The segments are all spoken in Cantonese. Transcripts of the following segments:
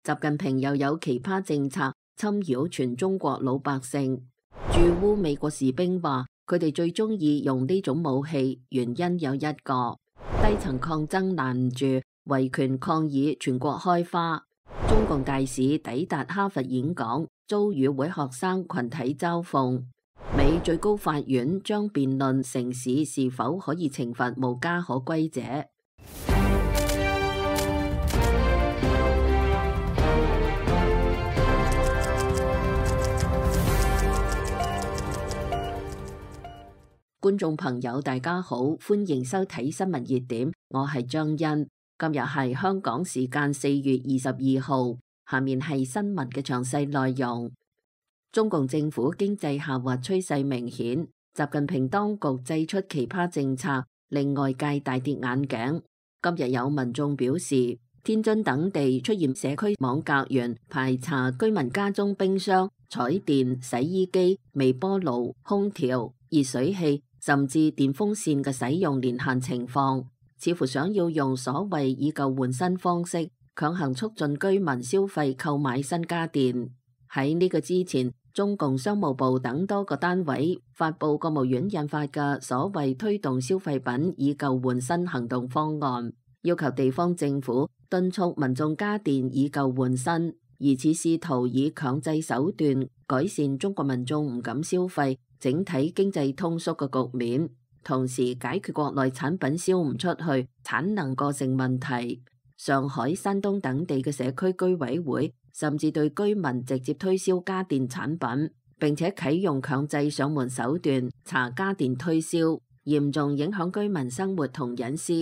習近平又有奇葩政策侵擾全中國老百姓。駐烏美國士兵話，佢哋最中意用呢種武器，原因有一個：低層抗爭攔唔住，維權抗議全國開花。中共大使抵達哈佛演講，遭與會學生群體嘲諷。美最高法院將辯論城市是否可以懲罰無家可歸者。觀眾朋友大家好，歡迎收睇新聞熱點，我係張欣。今日係香港時間4月22號，下面係新聞嘅詳細內容。中共政府經濟下滑趨勢明顯，習近平當局祭出奇葩政策，令外界大跌眼鏡。今日有民眾表示，天津等地出現社區網格員排查居民家中冰箱、彩電、洗衣機、微波爐、空調、熱水器甚至電風扇嘅使用年限情況，似乎想要用所謂以舊換新方式強行促進居民消費購買新家電。喺呢個之前，中共商務部等多個單位發布國務院印發嘅所謂推動消費品以舊換新行動方案，要求地方政府敦促民眾家電以舊換新，疑似試圖以強制手段改善中國民眾唔敢消費、整體經濟通縮嘅局面，同時解決國內產品銷唔出去、產能過剩問題。上海、山東等地嘅社區居委會甚至對居民直接推銷家電產品，並且啟用強制上門手段查家電推銷，嚴重影響居民生活同隱私。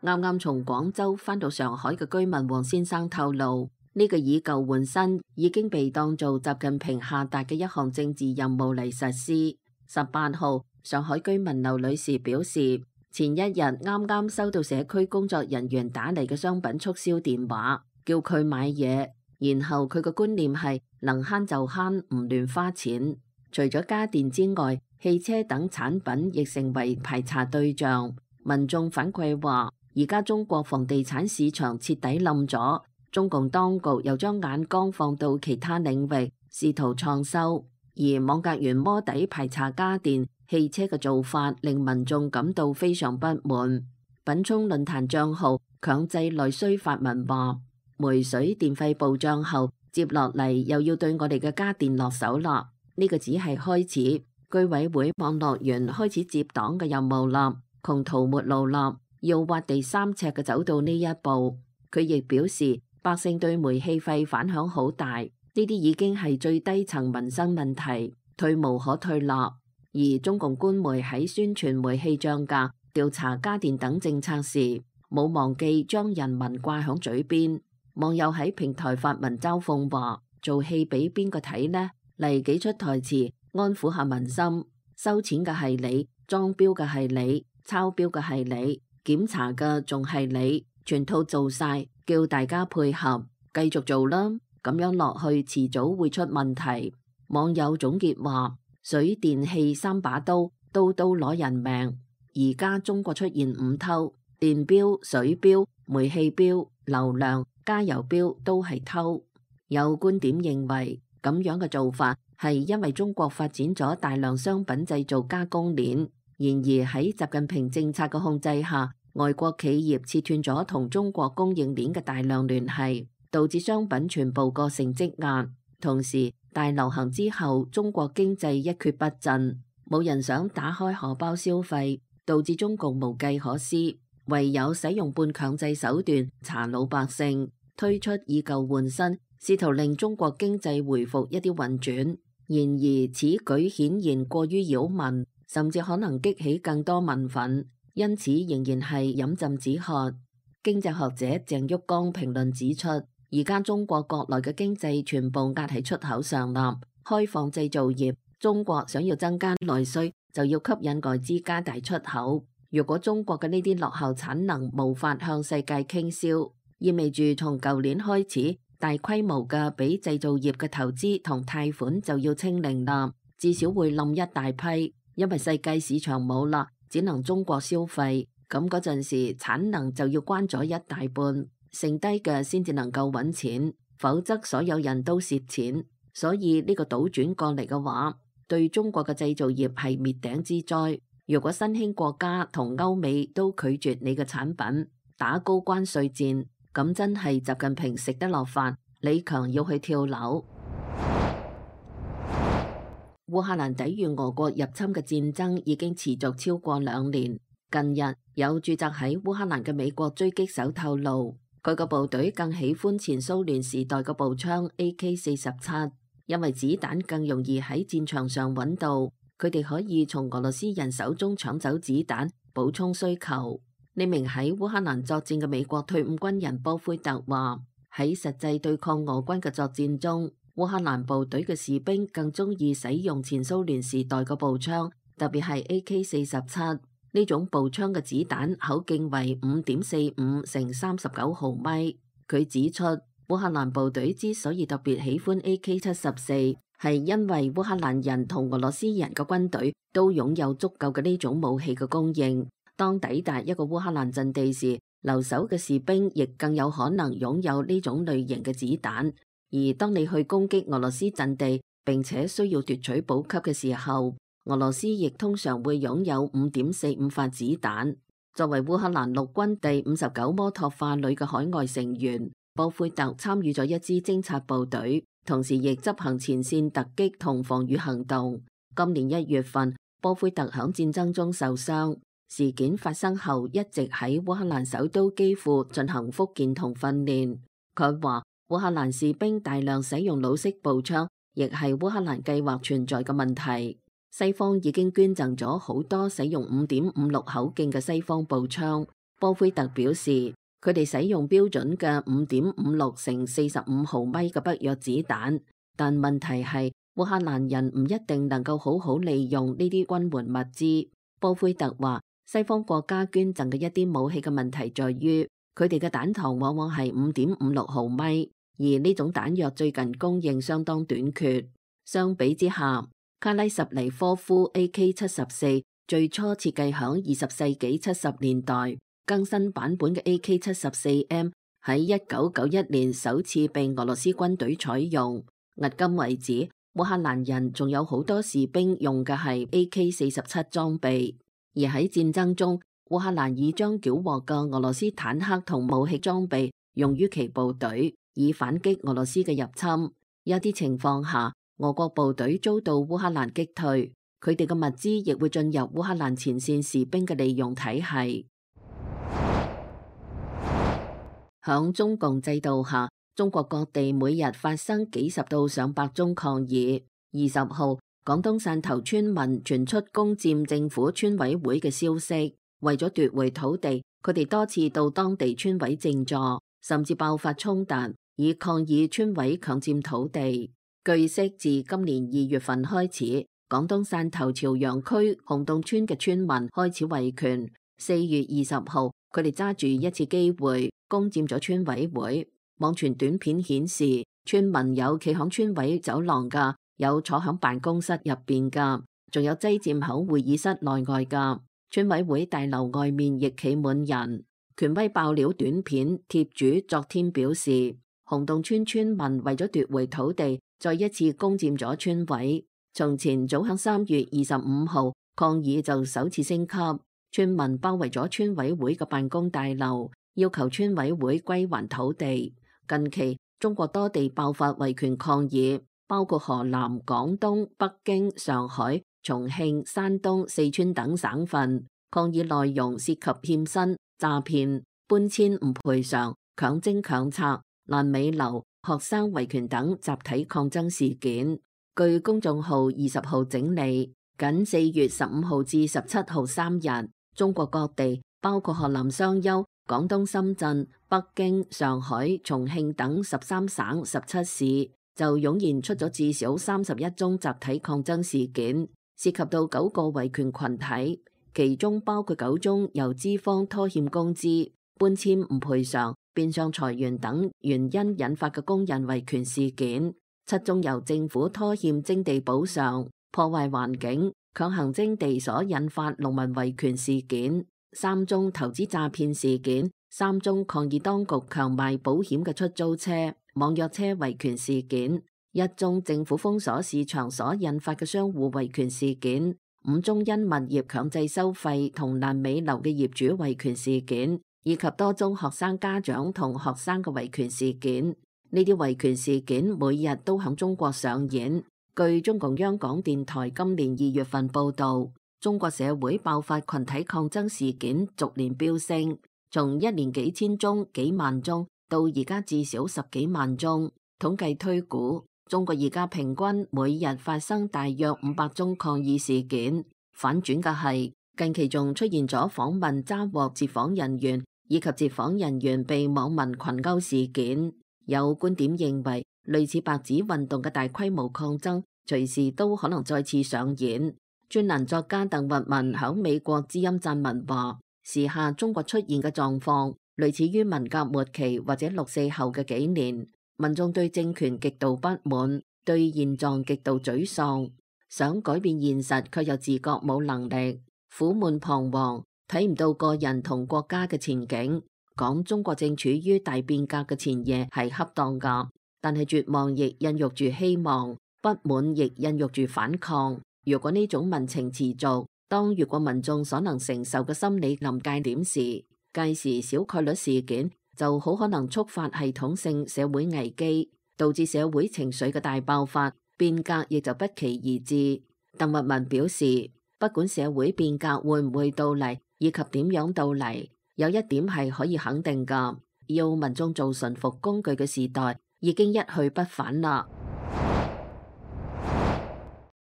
啱啱從廣州返到上海嘅居民黃先生透露，呢個以舊換新已經被當做習近平下達嘅一項政治任務嚟實施。18號，上海居民劉女士表示，前一日啱啱收到社區工作人員打嚟嘅商品促銷電話，叫佢買嘢，然後佢嘅觀念係能慳就慳，唔亂花錢。除咗家電之外，汽車等產品亦成為排查對象。民眾反饋話，而家中國房地產市場徹底冧咗，中共當局又將眼光放到其他領域，試圖創收。而網格員摸底排查家電、汽車嘅做法，令民眾感到非常不滿。品聰論壇帳號強制內需發文話，煤水電費暴漲後，接落嚟又要對我哋嘅家電落手啦。呢個只係開始，居委會網絡員開始接黨嘅任務啦，窮途末路啦，要挖地3尺嘅走到呢一步。佢亦表示，百姓對煤氣費反響好大。呢啲已經係最低層民生問題，退無可退啦。而中共官媒喺宣傳煤氣漲價、調查家電等政策時，冇忘記將人民掛響嘴邊。網友喺平台發文嘲諷話：做戲俾邊個睇呢？嚟幾出台詞安撫下民心。收錢嘅係你，裝標嘅係你，抄標嘅係你，檢查嘅仲係你，全套做晒，叫大家配合，繼續做啦。咁樣落去，遲早會出問題。網友總結話：水電氣3把刀，刀刀攞人命。而家中國出現5偷，電錶、水錶、煤氣錶、流量、加油錶都係偷。有觀點認為，咁樣嘅做法係因為中國發展咗大量商品製造加工鏈，然而喺習近平政策嘅控制下，外國企業切斷咗同中國供應鏈嘅大量聯繫，導致商品全部過剩積壓。同時，大流行之後，中國經濟一蹶不振，冇人想打開荷包消費，導致中共無計可施，唯有使用半強制手段查老百姓，推出以舊換新，試圖令中國經濟回復一啲運轉。然而，此舉顯然過於擾民，甚至可能激起更多民憤，因此仍然係飲鴆止渴。經濟學者鄭旭剛評論指出，而家中國國內嘅經濟全部壓喺出口上啦，開放製造業，中國想要增加內需，就要吸引外資加大出口。如果中國嘅呢啲落後產能無法向世界傾銷，意味住從舊年開始，大規模嘅俾製造業嘅投資同貸款就要清零啦，至少會冧一大批，因為世界市場冇啦，只能中國消費。咁嗰陣時產能就要關咗一大半，剩低嘅先至能夠揾錢。否則所有人都蝕錢。所以呢個倒轉過嚟嘅話，對中國嘅製造業係滅頂之災。如果新興國家同歐美都拒絕你嘅產品，打高關稅戰，咁真係習近平食得落飯，李強要去跳樓。烏克蘭抵禦俄國入侵嘅戰爭已經持續超過2年。近日有駐紮喺烏克蘭嘅美國狙擊手透露，佢個部隊更喜歡前蘇聯時代嘅步槍 AK-47，因為子彈更容易喺戰場上揾到，佢哋可以從俄羅斯人手中搶走子彈，補充需求。呢名喺烏克蘭作戰嘅美國退伍軍人波菲特話：喺實際對抗俄軍嘅作戰中，烏克蘭部隊嘅士兵更中意使用前蘇聯時代嘅步槍，特別係 AK-47呢種步槍嘅子彈口徑為5.45乘39毫米。佢指出，烏克蘭部隊之所以特別喜歡 AK-74，係因為烏克蘭人同俄羅斯人嘅軍隊都擁有足夠嘅呢種武器嘅供應。當抵達一個烏克蘭陣地時，留守嘅士兵亦更有可能擁有呢種類型嘅子彈。而當你去攻擊俄羅斯陣地並且需要奪取補給嘅時候，俄羅斯亦通常會擁有5.45發子彈。作為烏克蘭陸軍第59摩托化旅嘅海外成員，波菲特參與咗一支偵察部隊，同時亦執行前線突擊同防禦行動。今年1月份，波菲特響戰爭中受傷，事件發生後一直喺烏克蘭首都基輔進行復健同訓練。佢話，烏克蘭士兵大量使用老式步槍，亦係烏克蘭計劃存在嘅問題。西方已經捐贈咗好多使用5.56口徑嘅西方步槍。波菲特表示，佢哋使用標準嘅5.56乘45毫米嘅北約子彈，但問題係烏克蘭人唔一定能夠好好利用呢啲軍援物資。波菲特話，西方國家捐贈嘅一啲武器嘅問題在於，佢哋嘅彈頭往往係5.56毫米。而呢種彈藥最近供應相當短缺。相比之下，卡拉什尼科夫 AK-74 最初設計響20世紀70年代，更新版本嘅 AK-74M 喺1991年首次被俄羅斯軍隊採用。迄今為止，烏克蘭人仲有好多士兵用嘅係 AK-47裝備。而喺戰爭中，烏克蘭已將繳獲嘅俄羅斯坦克同武器裝備用於其部隊，以反擊俄羅斯嘅入侵。一啲情況下，俄國部隊遭到烏克蘭擊退，佢哋嘅物資亦會進入烏克蘭前線士兵嘅利用體系。響中共制度下，中國各地每日發生幾十到上百宗抗議。20號，廣東汕頭村民傳出攻佔政府村委會嘅消息，為咗奪回土地，佢哋多次到當地村委靜坐，甚至爆發衝突，以抗議村委強佔土地。據悉，自今年2月份開始，廣東汕頭潮陽區洪洞村嘅村民開始維權。4月20號，佢哋揸住一次機會攻佔咗村委會。網傳短片顯示，村民有企響村委走廊噶，有坐響辦公室入邊噶，仲有擠佔響會議室內外噶。村委會大樓外面亦企滿人。權威爆料短片貼主昨天表示，洪洞村村民為咗奪回土地，再一次攻佔咗村委。從前早響3月25號，抗議就首次升級，村民包圍咗村委會嘅辦公大樓，要求村委會歸還土地。近期中國多地爆發維權抗議，包括河南、廣東、北京、上海、重慶、山東、四川等省份。抗議內容涉及欠薪、詐騙、搬遷唔賠償、強徵強拆、爛尾樓、學生維權等集體抗爭事件。據公眾號20號整理，僅4月15號至17號3日，中國各地包括河南商丘、廣東深圳、北京、上海、重慶等13省17市，就湧現出咗至少31宗集體抗爭事件，涉及到9個維權群體，其中包括9宗由資方拖欠工資、搬遷唔賠償、變相裁員等原因引發嘅工人維權事件，7宗由政府拖欠徵地補償、破壞環境、強行徵地所引發農民維權事件，3宗投資詐騙事件，3宗抗議當局強賣保險嘅出租車。網約車維權事件、1宗政府封鎖市場所引發嘅商戶維權事件、5宗因物業強制收費同爛尾樓嘅業主維權事件，以及多宗學生家長同學生嘅維權事件。呢啲維權事件每日都響中國上演。據中共央廣電台今年2月份報道，中國社會爆發群體抗爭事件逐年飆升，從1年幾千宗、幾萬宗到而家至少10幾萬宗。統計推估，中國而家平均每日發生大約500宗抗議事件。反轉嘅係，近期仲出現咗訪問抓獲截訪人員以及截訪人員被網民群毆事件。有觀點認為，類似白紙運動嘅大規模抗爭，隨時都可能再次上演。專欄作家鄧聿文響美國之音撰文話，時下中國出現嘅狀況，類似於文革末期或者6·4後嘅幾年，民眾對政權極度不滿，對現狀極度沮喪，想改變現實卻又自覺冇能力，苦悶彷徨，睇唔到個人同國家嘅前景。講中國正處於大變革嘅前夜係恰當㗎，但係絕望亦孕育住希望，不滿亦孕育住反抗。如果呢種民情持續，當越過民眾所能承受嘅心理臨界點時，屆時小概率事件就好可能觸發系統性社會危機，導致社會情緒嘅大爆發，變革亦就不期而至。鄧聿文表示，不管社會變革會唔會到嚟，以及點樣到嚟，有一點係可以肯定㗎，要民眾做馴服工具嘅時代已經一去不返啦。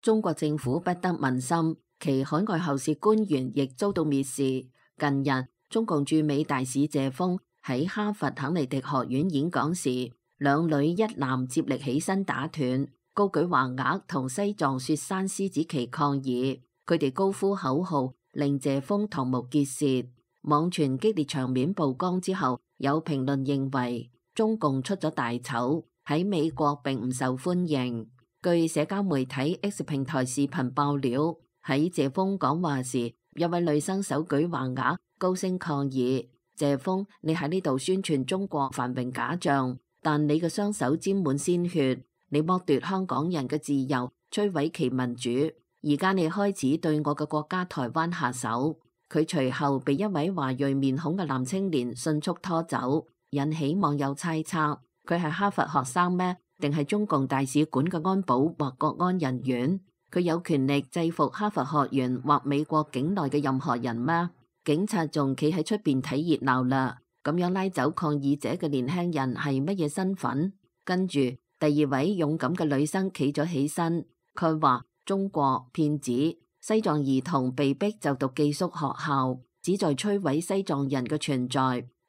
中國政府不得民心，其海外後事官員亦遭到蔑視。近日，中共駐美大使謝鋒喺哈佛肯尼迪學院演講時，兩女一男接力起身打斷，高舉橫額同西藏雪山獅子旗抗議，佢哋高呼口號，令謝鋒瞠目結舌。網傳激烈場面曝光之後，有評論認為中共出咗大醜，喺美國並唔受歡迎。據社交媒體 X 平台視頻爆料，喺謝鋒講話時，有位女生手舉橫額，高聲抗議：謝鋒，你喺呢度宣傳中國繁榮假象，但你嘅雙手沾滿鮮血，你剝奪香港人嘅自由，摧毀其民主。而家你開始對我嘅國家台灣下手。佢隨後被一位華裔面孔嘅男青年迅速拖走，引起網友猜測佢係哈佛學生咩？定係中共大使館嘅安保或國安人員？佢有權力制服哈佛學院或美國境內嘅任何人咩？警察仲企喺出邊睇熱鬧啦，咁樣拉走抗議者嘅年輕人係乜嘢身份？跟住第二位勇敢嘅女生企咗起身，佢話中國騙子。西藏兒童被逼就讀寄宿學校，旨在摧毀西藏人嘅存在。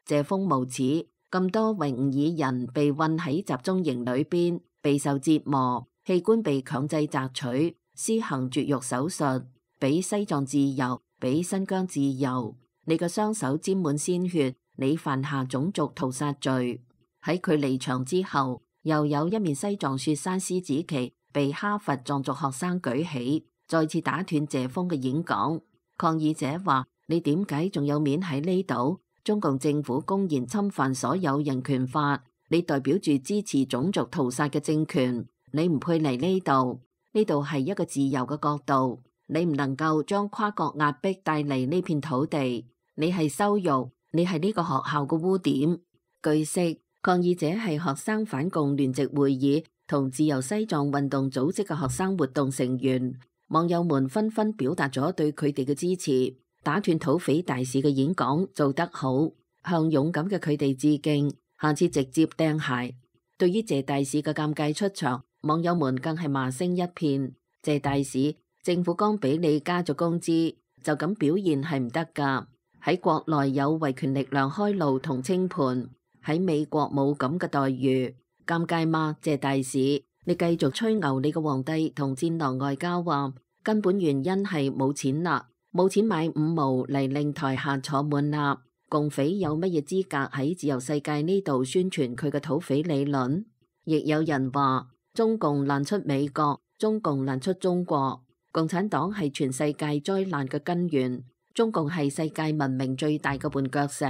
謝鋒無恥，咁多維吾爾人被困喺集中營裏邊，備受折磨，器官被強制摘取，施行絕育手術，俾西藏自由，俾新疆自由。你嘅雙手沾滿鮮血，你犯下種族屠殺罪。喺佢離場之後，又有一面西藏雪山獅子旗被哈佛藏族學生舉起，再次打斷謝鋒嘅演講。抗議者話：你點解仲有面喺呢度？中共政府公然侵犯所有人權法，你代表住支持種族屠殺嘅政權，你唔配嚟呢度。呢度係一個自由嘅國度，你唔能夠將跨國壓迫帶嚟呢片土地。你係羞辱，你係呢個學校嘅污點。據悉，抗議者係學生反共聯席會議同自由西藏運動組織嘅學生活動成員。網友們紛紛表達咗對佢哋嘅支持，打斷土匪大使嘅演講做得好，向勇敢嘅佢哋致敬，下次直接掟鞋。對於謝大使嘅尷尬出場，網友們更係罵聲一片。謝大使，政府剛俾你加咗工資，就咁表現係唔得㗎。喺國內有維權力量開路同清盤，喺美國冇咁嘅待遇，尷尬嗎？謝大使。你繼續吹牛，你個皇帝同戰狼外交話，根本原因係冇錢啦，冇錢買五毛嚟令台下坐滿啦。共匪有乜嘢資格喺自由世界呢度宣傳佢嘅土匪理論？亦有人話中共難出美國，中共難出中國，共產黨係全世界災難嘅根源，中共係世界文明最大嘅絆腳石。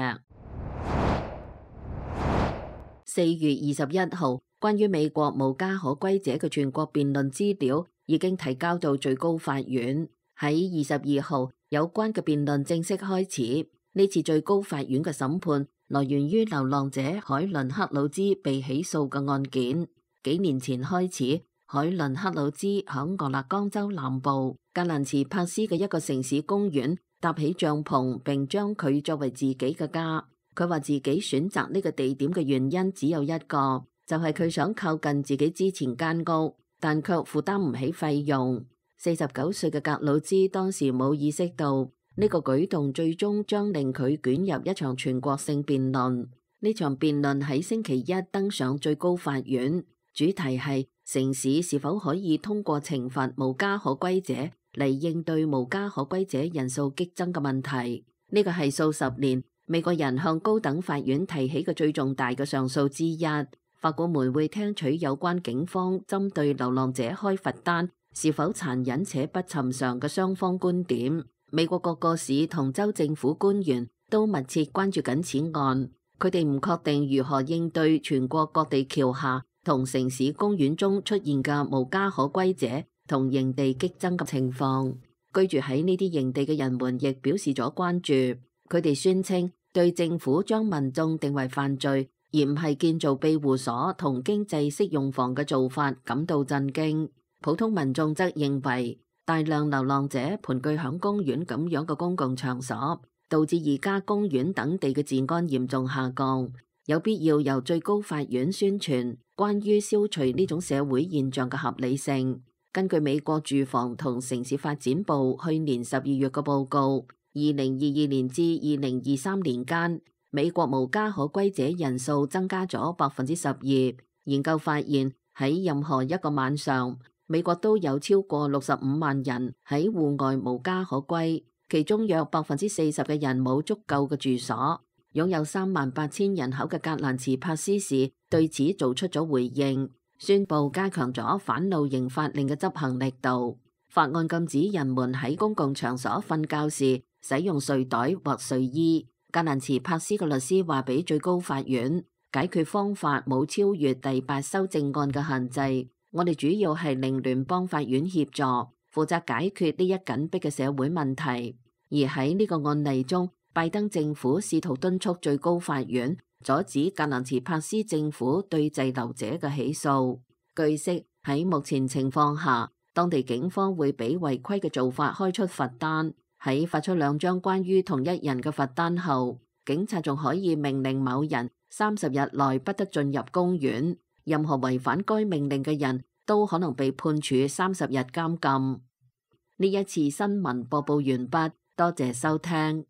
4月21號，關於美國無家可歸者嘅全國辯論資料已經提交到最高法院。喺22號，有關嘅辯論正式開始。呢次最高法院嘅審判來源於流浪者海倫克魯茲被起訴嘅案件。幾年前開始，海倫克魯茲響俄勒岡州南部格蘭茨帕斯嘅一個城市公園搭起帳篷，並將佢作為自己嘅家。佢話自己選擇呢個地點嘅原因只有一個，就係佢想靠近自己之前間屋，但卻負擔唔起費用。49歲嘅格魯茲當時冇意識到呢個舉動最終將令佢捲入一場全國性辯論。呢場辯論喺星期一登上最高法院，主題係城市是否可以通過懲罰無家可歸者嚟應對無家可歸者人數激增嘅問題。呢個係數十年美國人向高等法院提起嘅最重大嘅上訴之一。法官們會聽取有關警方針對流浪者開罰單是否殘忍且不尋常嘅雙方觀點。美國各個市同州政府官員都密切關注緊此案，佢哋唔確定如何應對全國各地橋下同城市公園中出現嘅無家可歸者同營地激增嘅情況。居住喺呢啲營地嘅人們亦表示咗關注，佢哋宣稱對政府將民眾定為犯罪而唔係建造庇護所同經濟適用房嘅做法感到震驚。普通民眾則認為大量流浪者盤踞響公園咁樣嘅公共場所，導致而家公園等地嘅治安嚴重下降，有必要由最高法院宣傳關於消除呢種社會現象嘅合理性。根據美國住房同城市發展部去年12月嘅報告，2022年至2023年間，美國無家可歸者人數增加咗12%。研究發現，喺任何一個晚上，美國都有超過65萬人喺戶外無家可歸，其中約40%嘅人冇足夠嘅住所。擁有38000人口嘅格蘭茨帕斯市對此做出咗回應，宣布加強咗反露營法令嘅執行力度。法案禁止人們喺公共場所瞓覺時使用睡袋或睡衣。格蘭茨帕斯嘅律師話俾最高法院，解決方法冇超越第8修正案嘅限制。我哋主要係令聯邦法院協助負責解決呢一緊迫嘅社會問題。而喺呢個案例中，拜登政府試圖敦促最高法院阻止格蘭茨帕斯政府對滯留者嘅起訴。據悉，喺目前情況下，當地警方會俾違規嘅做法開出罰單。喺發出2張關於同一人嘅罰單後，警察仲可以命令某人30日內不得進入公園。任何違反該命令嘅人都可能被判處30日監禁。呢一次新聞播報完畢，多謝收聽。